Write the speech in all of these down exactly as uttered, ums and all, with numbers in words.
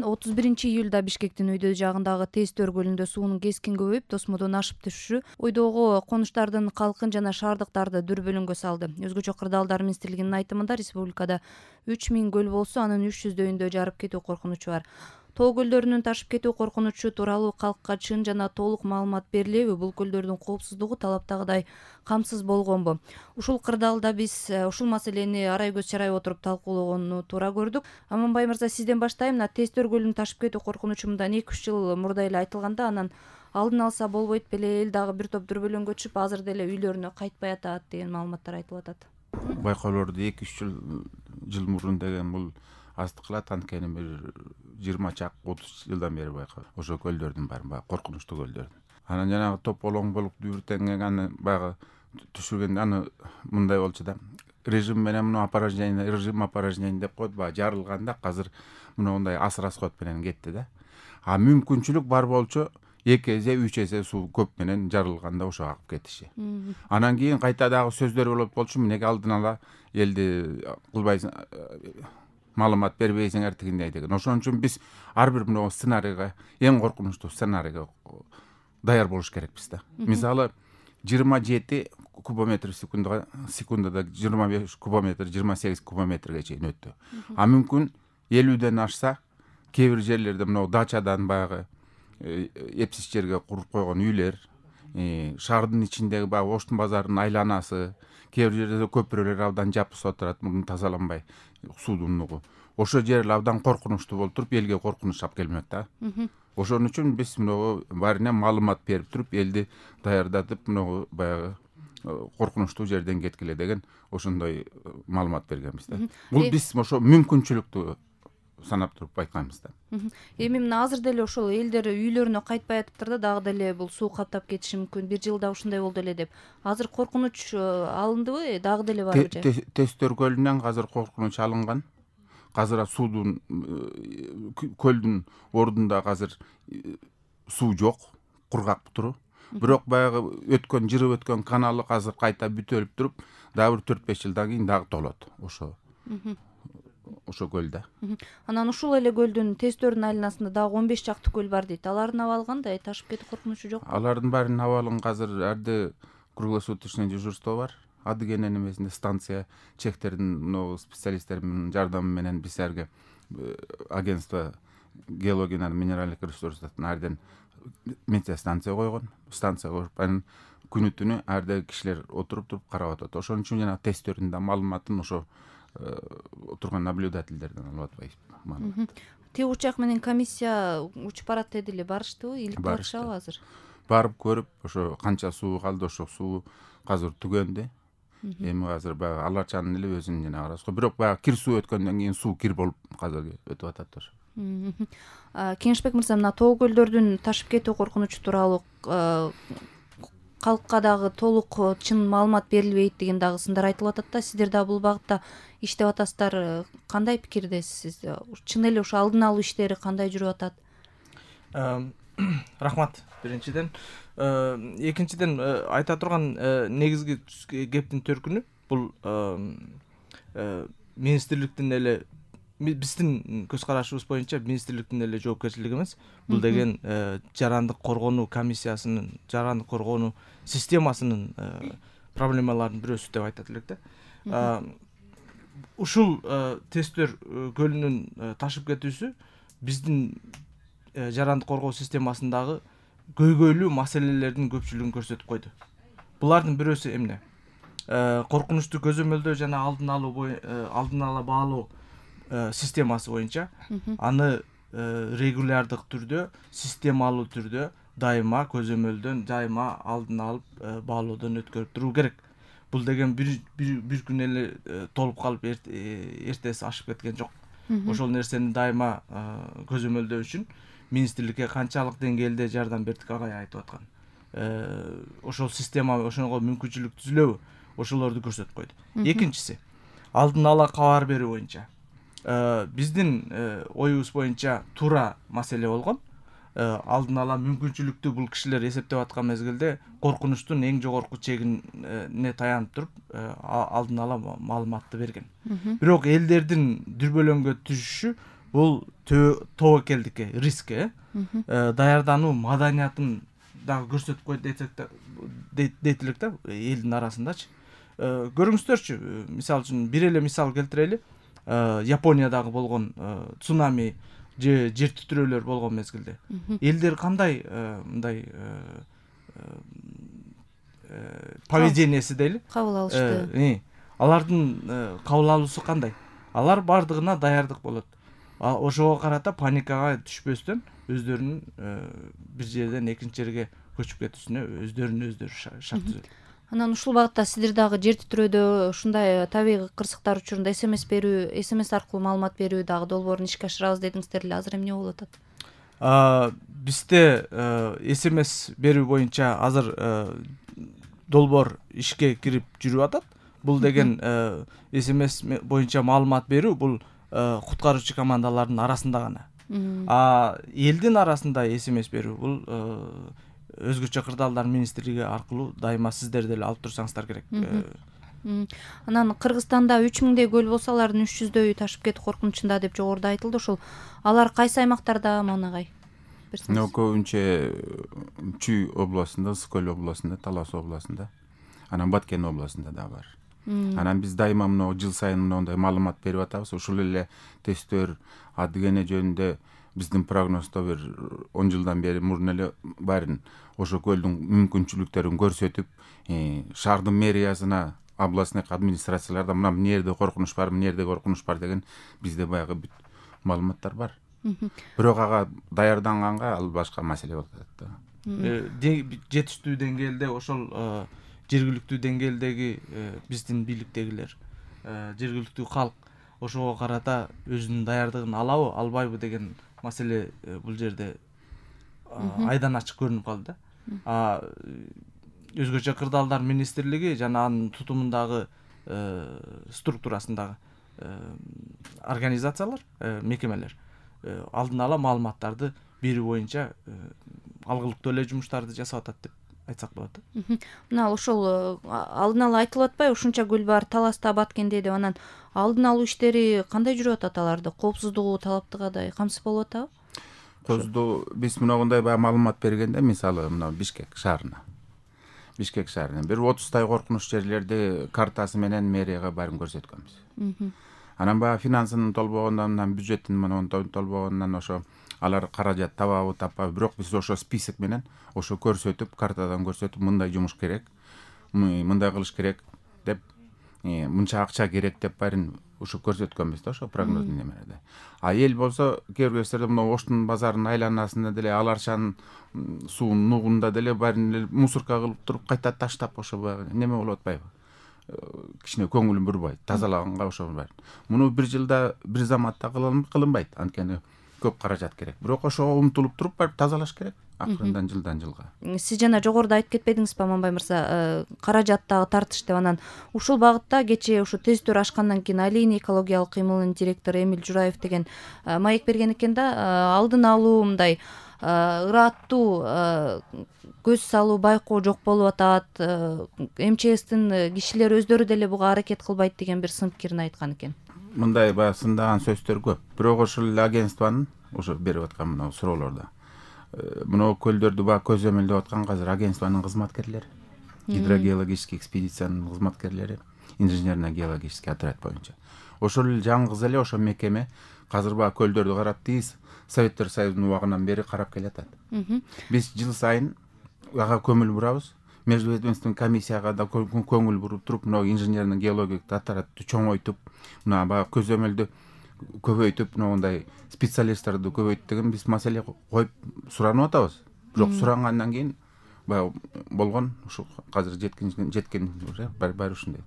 отуз биринчи июлда Бишкектин Үйдө жагындагы Тестөр көлүндө суунун кескин көбөйүп, тосмодон ашып түшүшү Уйдогу конуштардын калкын жана шаардыктарды дүрбөлөңгө салды. Өзгөчө Кырдаалдар министрлигинин айтымында республикада үч миң көл болсо, анын үч жүздөөүндө жарып кетүү коркунучу бар. Тоо көлдөрүнүн ташып кетүү коркунучу тууралуу калкка чын жана толук маалымат берилеби? Бул көлдөрдүн коопсуздугу талаптагыдай камсыз болгонбу? Ушул кырдаалда биз ушул маселени арай көз чарай отуруп талкуулогону туура көрдүк. Аманбай мырза, сизден баштайм. Мына Тестөр көлүнүн ташып кетүү коркунучу мындан эки үч жыл мурда эле айтылганда, анан алдын алса болбойт беле, эл дагы бир топ дүрбөлөңгө түшүп, азыр деле үйлөрүнө кайтпай атат деген маалыматтар айтылып атат. Байкоолорду эки үч жыл жыл мурун деген бул аздык кылат. Анткени бир жыйырма чак отуз жылдан бери байкап ошо көлдөрдүн баары баягы коркунучтуу көлдөрдүн. Анан жанагы тополоң болуп дүбүртеңген аны баягы түшүргөндө аны мындай болчу да. Режим менен муну опорожнение, режим опорожнение деп коет, баягы жарылганда азыр мындай ас расход менен кетти да. А мүмкүнчүлүк бар болчу эки эсе, үч эсе суу көп менен жарылганда ошо агып кетиши. Анан кийин кайта дагы сөздөр болот болчу, мынеге алдын ала элди кылбайсың, маалымат бербейсиңер тигиндей деген. Ошон үчүн биз ар бир мына сценарийге, эң коркунучтуу сценарийге даяр болуш керекпиз да. Мисалы, жыйырма жети кубометр секундага секундада жыйырма беш кубометр, жыйырма сегиз кубометрге чейин өттү. А мүмкүн элүүдөн ашса, кээ бир жерлерде мына дачадан баягы эпсиз жерге куруп койгон үйлөр, шаардын ичиндеги баягы Оштун базарынын айланасы, кээ бир жерде көпүрөлөр абдан жапыс отурат, муну тазаланбай суудун нугу. Ошо жер абдан коркунучтуу болуп туруп, элге коркунуч алып келмек да. Ошон үчүн биз муну баарына маалымат берип туруп, элди даярдатып, муну баягы коркунучтуу жерден кеткиле деген ошондой маалымат бергенбиз да. Бул биз ошо мүмкүнчүлүктү санап туруп айтканбыз да. Эми мына азыр деле ошол элдер үйлөрүнө кайтпай атыптыр да, дагы деле бул суу каптап кетиши мүмкүн. Бир жылда ушундай болду эле деп. Азыр коркунуч алындыбы, дагы деле барбы же? Тестөр көлүнөн азыр коркунуч алынган. Азыр суудун көлдүн ордунда азыр суу жок, кургак туру. Бирок баягы өткөн, жырып өткөн каналы азыр кайта бүтөлүп туруп, дагы бир төрт беш жылдан кийин дагы толот. Ошо ошо көлдө. Анан ушул эле көлдүн Тестөрдүн айланасында дагы он беш чакты көл бар дейт. Алардын абалы кандай? Ташып кетүү коркунучу жокпу? Алардын баарынын абалын азыр арды круглосуточный дежурство бар. Адыгенен эмесинде станция чектердин мына специалисттердин жардамы менен биз арга агентство геология жана минералдык ресурстардын арден метеостанция койгон. Станция коюп, анан күнү түнү ардagi кишилер отуруп туруп карап атат. Ошон үчүн жана Тестөрдүн да маалыматын ошо отурган наблюдательдерден алып атпайбыз. Тиги учак менен комиссия учуп барат дедиле, барыштыбы? Илип барышабы азыр? Барып көрүп, ошо канча суу калды, ошо суу азыр түгөндү. Эми азыр баягы Аларчанын эле өзүнүн жана расход. Бирок баягы кир суу өткөндөн кийин суу кир болуп азыр өтүп атат ошо. Кеңешбек мырза, мына тоо көлдөрдүн ташып кетүү коркунучу тууралуу калкка дагы толук чын маалымат берилбейт деген дагы сындар айтылып атат да. Сиздер дагы бул багытта иштеп атасыздар. Кандай пикирдесиз? Чын эле ошо алдын алуу иштери кандай жүрүп атат? Рахмат биринчиден. Экинчиден айта турган негизги кептин төркүнү бул министрликтин эле, биздин көз карашыбыз боюнча министрликтин эле жоопкерчилиги эмес. Бул деген жарандык коргонуу комиссиясынын, жарандык коргонуу системасынын проблемаларынын бирөөсү деп айтат элек да. Ушул Тестөр көлүнүн ташып кетүүсү биздин жарандык коргоо системасындагы көйгөйлүү маселелердин көпчүлүгүн көрсөтүп койду. Булардын бирөөсү эмне? Коркунучту көзөмөлдөө жана алдын алуу, алдын ала баалоо системасы боюнча аны регулярдык түрдө, системалуу түрдө дайыма көзөмөлдөн, дайыма алдын алып баалоодон өткөрүп туруу керек. Бул деген бир бир күн эле толуп калып эртеси ашып кеткен жок. Ошол нерсени дайыма көзөмөлдөө үчүн министрликке канчалык деңгээлде жардам бердик агай айтып аткан. Ошол система, ошого мүмкүнчүлүк түзүлөбү? Ошолорду көрсөтүп койду. Экинчиси, алдын ала кабар берүү боюнча. Биздин оюбуз боюнча туура маселе болгон. Алдын ала мүмкүнчүлүктү бул кишилер эсептеп аткан мезгилде коркунучтун эң жогорку чегине таянып туруп, алдын ала маалыматты берген. Бирок элдердин дүрбөлөңгө түшүшү бул тобокелдикке риск э даярдануу маданиятын дагы көрсөтүп койт десек да дейт элек да элдин арасындачы. Көрүңүздөрчү, мисалы үчүн бир эле мисал келтирели. Япониядагы болгон цунами же жер титирөөлөр болгон мезгилде элдер кандай мындай поведениясы дейли, кабыл алышты. Алардын кабыл алуусу кандай? Алар бардыгына даярдык болот. Ошого карата паникага түшпөстөн өздөрүнүн бир жерден экинчи жерге көчүп кетүүсүнө өздөрүнүн өздөрү шарт түзөт. Анан ушул багытта сиздер дагы жер титирөөдө ушундай табигый кырсыктар учурунда смс берүү, смс аркылуу маалымат берүү дагы долбоорун ишке ашырабыз дедиңиздер эле. Азыр эмне болуп атат? Бизде смс берүү боюнча азыр долбоор ишке кирип жүрүп атат. Бул деген смс боюнча маалымат берүү бул куткаруучу командалардын арасында гана. А элдин арасында смс берүү бул өзгөчө кырдаалдар министрлиги аркылуу дайыма сиздер деле алып турсаңыздар керек. Анан Кыргызстанда үч миңдей көл болсо, алардын үч жүздөйү ташып кетүү коркунучунда деп жогоруда айтылды. Ошол алар кайсы аймактарда, Манагай? Көбүнчө Чүй областында, Ысык-Көл областында, Талас областында, анан Баткен областында да бар. Анан биз дайыма мына жыл сайын мындай маалымат берип атабыз. Ушул эле тесттөр адыгене жөнүндө биздин прогноздо бир он жылдан бери мурун эле баарын ошо көлдүн мүмкүнчүлүктөрүн көрсөтүп, шаардын мэриясына, областный администрацияларда мына эмне жерде коркунуч бар, эмне жерде коркунуч бар деген бизде баягы бүт маалыматтар бар. Бирок ага даярданганга ал башка маселе болуп атат да. Жетиштүү деңгээлде ошол жергиликтүү деңгээлдеги биздин бийликтегилер, жергиликтүү калк ошого карата өзүнүн даярдыгын алабы, албайбы деген маселе бул жерде айдан ачык көрүнүп калды да. Өзгөчө кырдаалдар министрлиги жана анын тутумундагы структурасындагы организациялар, мекемелер алдын ала маалыматтарды берүү боюнча алгылыктуу эле жумуштарды жасап атат деп айтсак болот. Мына ошол алдын ала айтылып атпайбы, ушунча көл бар Таласта, Баткенде деп. Анан алдын алуу иштери кандай жүрүп атат аларды? Коопсуздугу талаптыгадай камсыз болуп атабы? Козду биз мындай баягы маалымат бергенде, мисалы мына Бишкек шаарына. Бишкек шаарына бир отуздай коркунуч жерлерди картасы менен мэрияга баарын көрсөткөнбүз. Анан баягы финансынын толбогондон, бюджеттин менен толбогондон ошо алар каражат табабы, таппайбы, бирок биз ошо список менен ошо көрсөтүп, картадан көрсөтүп, мындай жумуш керек, мындай кылыш керек деп, мынча акча керек деп баарын ошо көрсөткөнбүз да, ошо прогноздун немеде. А эл болсо кээ бир кездерде мына Оштун базарынын айланасында деле, Аларчанын суунун нугунда деле баарын эле мусорка кылып туруп, кайта таштап ошо баягы неме болуп атпайбы? Кичине көңүл бурбайт, тазалаганга ошо бар. Муну бир жылда, бир заматта кылынбайт, анткени көп каражат керек. Бирок ошого умтулуп туруп барып тазалаш керек акырындан жылдан жылга. Сиз жана жогоруда айтып кетпедиңизби, Аманбай мырза, каражаттагы тартыш деп. Анан ушул багытта кечээ ушу тесттөр ашкандан кийин Алийный экологиялык кыймылынын директору Эмиль Жураев деген маек берген экен да, алдын алуу мындай ыраттуу көз салуу, байкоо жок болуп атат. эм че эстин кишилери өздөрү деле буга аракет кылбайт деген бир сын пикирин айткан экен. Мындай баягы сындаган сөздөр көп. Бирок ошол эле агентствонун ошо берип аткан мына суроолордо мына көлдөрдү баягы көзөмөлдөп аткан азыр агентствонун кызматкерлери, гидрогеологический экспедициянын кызматкерлери, инженерно-геологический отряд боюнча. Ошол эле жаңгыз эле ошо мекеме азыр баягы көлдөрдү карап, тиз Советтер Союзунун убагынан бери карап келатат. Биз жыл сайын ага көңүл бурабыз. Междуведомственный комиссияга да көңүл буруп туруп, мына инженерно-геологиялык отрядты чоңойтуп, мына баягы көзөмөлдү көбөйтүп, мындай специалисттарды көбөйт деген биз маселе коюп суранып атабыз. Бирок сурангандан кийин баягы болгон ушу азыр жеткен жеткен баары ушундай.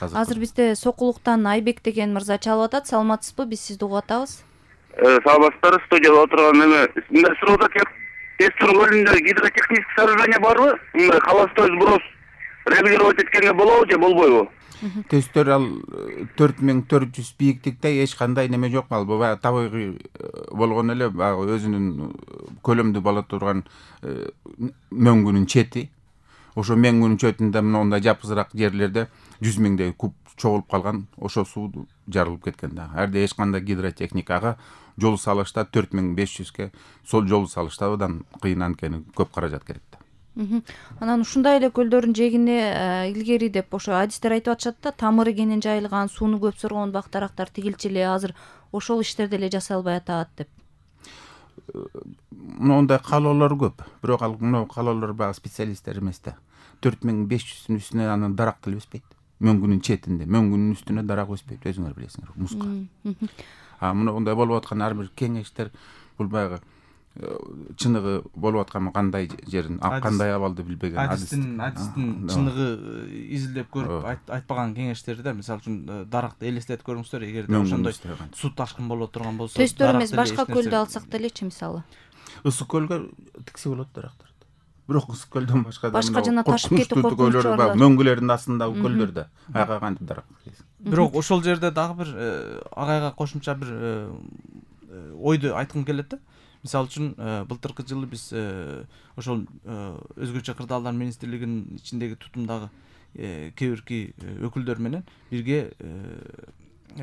Азыр бизде Сокулуктан Айбек деген мырза чалып атат. Саламатсызбы? Биз сизди угуп атабыз. Саламатсыздар, студияда отурган эме. Мындай суроодо кеп, Тестер көлүндө гидротехнический сооружение барбы? Мындай холостой сброс регулировать эткенге болобу же болбойбу? Тесттер ал төрт миң төрт жүз бийиктикте эч кандай неме жок. Ал баягы табигый болгон эле баягы өзүнүн көлөмдүү боло турган мөңгүнүн чети. Ошо мөңгүнүн четинде мындай жапызыраак жерлерде жүз миңдей куб чогулуп калган, ошо суу жарылып кеткен да. Әрде эч кандай гидротехникага жол салышта төрт миң беш жүзгө сол жол салышта абдан кыйын, анткени көп каражат керек да. Анан ушундай эле көлдөрдүн жээгине илгери деп ошо адистер айтып атышат да, тамыры кенен жайылган, сууну көп соргон бак дарактар тигилчи эле азыр ошол иштерди эле жасай албай атат деп. Мындай каалоолор көп, бирок ал мына каалоолор баягы специалисттер эмес да. төрт миң беш жүздүн үстүнө анан дарак деле өспөйт. Мөңгүнүн четинде, мөңгүнүн үстүнө дарак өспөйт, өзүңөр билесиңер, муска. А мына мындай болуп аткан ар бир кеңештер бул баягы чыныгы болуп аткан кандай жерин, кандай абалды билбеген адистин адистин чыныгы изилдеп көрүп айтпаган кеңештери да, мисалы үчүн даракты элестетип көрүңүздөр, эгерде ошондой суу ташкын боло турган болсо, төстөр эмес, башка көлдү алсак делечи, мисалы. Ысык көлгө тиксе болот дарактарды. Бирок ысык көлдөн башка да башка жана ташып кетип көлдөр бар, мөңгүлөрдүн астындагы көлдөрдө ага кантип дарак. Бирок ошол жерде дагы бир агайга кошумча бир ойду айткым келет да. Мисалы үчүн былтыркы жылы биз ошол өзгөчө кырдаалдар министрлигинин ичиндеги тутумдагы кээ бирки өкүлдөр менен бирге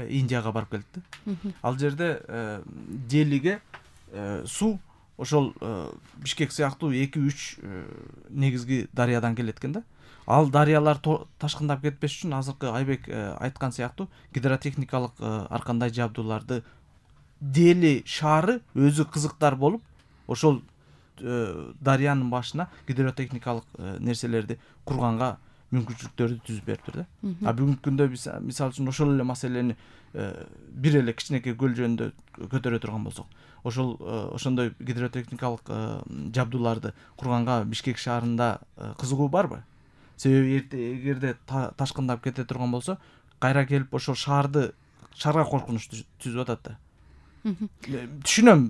Индияга барып келдик да. Ал жерде Делиге суу ошол Бишкек сыяктуу эки үч негизги дарыядан келет экен да. Ал дарыялар ташкындап кетпеш үчүн азыркы Айбек айткан сыяктуу гидротехникалык ар кандай жабдууларды Дели шаары өзү кызыктар болуп, ошол дарыянын башына гидротехникалык нерселерди курганга мүмкүнчүлүктөрдү түзүп бериптир да. А бүгүнкү күндө мисалы үчүн ошол эле маселени бир эле кичинекей көл жөнүндө көтөрө турган болсок, ошол ошондой гидротехникалык жабдууларды курганга Бишкек шаарында кызыгуу барбы? Себеби эгерде ташкындап кете турган болсо, кайра келип ошол шаарды шаарга коркунуч түзүп атат да. Түшүнөм,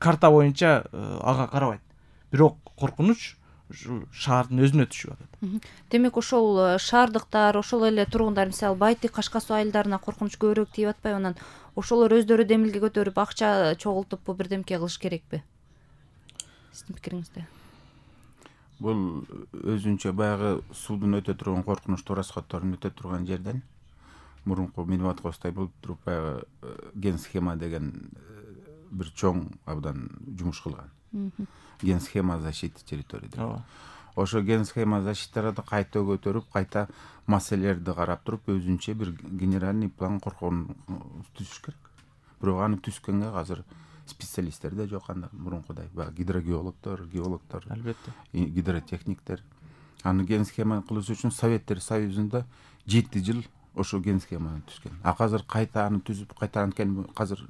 карта боюнча ага карабайт, бирок коркунуч ушул шаардын өзүнө түшүп атат. Демек ошол шаардыктар, ошол эле тургундар, мисалы Байтик, Кашка суу айылдарына коркунуч көбүрөөк тийип атпайбы? Анан ошолор өздөрү демилге көтөрүп, акча чогултуп бирдемке кылыш керекпи? Сиздин пикириңизде? Бул өзүнчө баягы суудун өтө турган коркунучтуу расходторун өтө турган жерден мурунку Медватковстой болуп туруп баягы ген схема деген бир чоң абдан жумуш кылган. Ген схема защиты территории деп. Ошо ген схема защиталарды кайта көтөрүп, кайта маселелерди карап туруп, өзүнчө бир генеральный план коркон түзүш керек. Бирок аны түзгөнгө азыр специалисттер да жок, анда мурункудай баягы гидрогеологдор, геологдор, албетте, гидротехниктер. Аны ген схема кылыш үчүн Советтер Союзунда жети жыл ошо ген схеманы түзгөн. А азыр кайта аны түзүп, кайта анткени азыр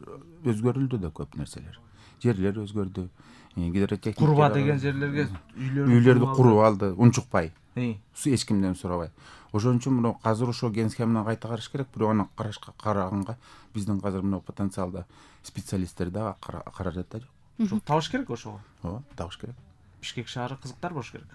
өзгөрүлдү да көп нерселер. Жерлер өзгөрдү. Гидротехника курба деген жерлерге үйлөрдү куруп алды, унчукпай. Эч кимден сурабай. Ошон үчүн мына азыр ошо ген схеманы кайта караш керек, бирок аны карашка караганга биздин азыр мына потенциалда специалисттер да каражат да жок. Табыш керек ошого. Ооба, табыш керек. Бишкек шаары кызыктар болуш керек.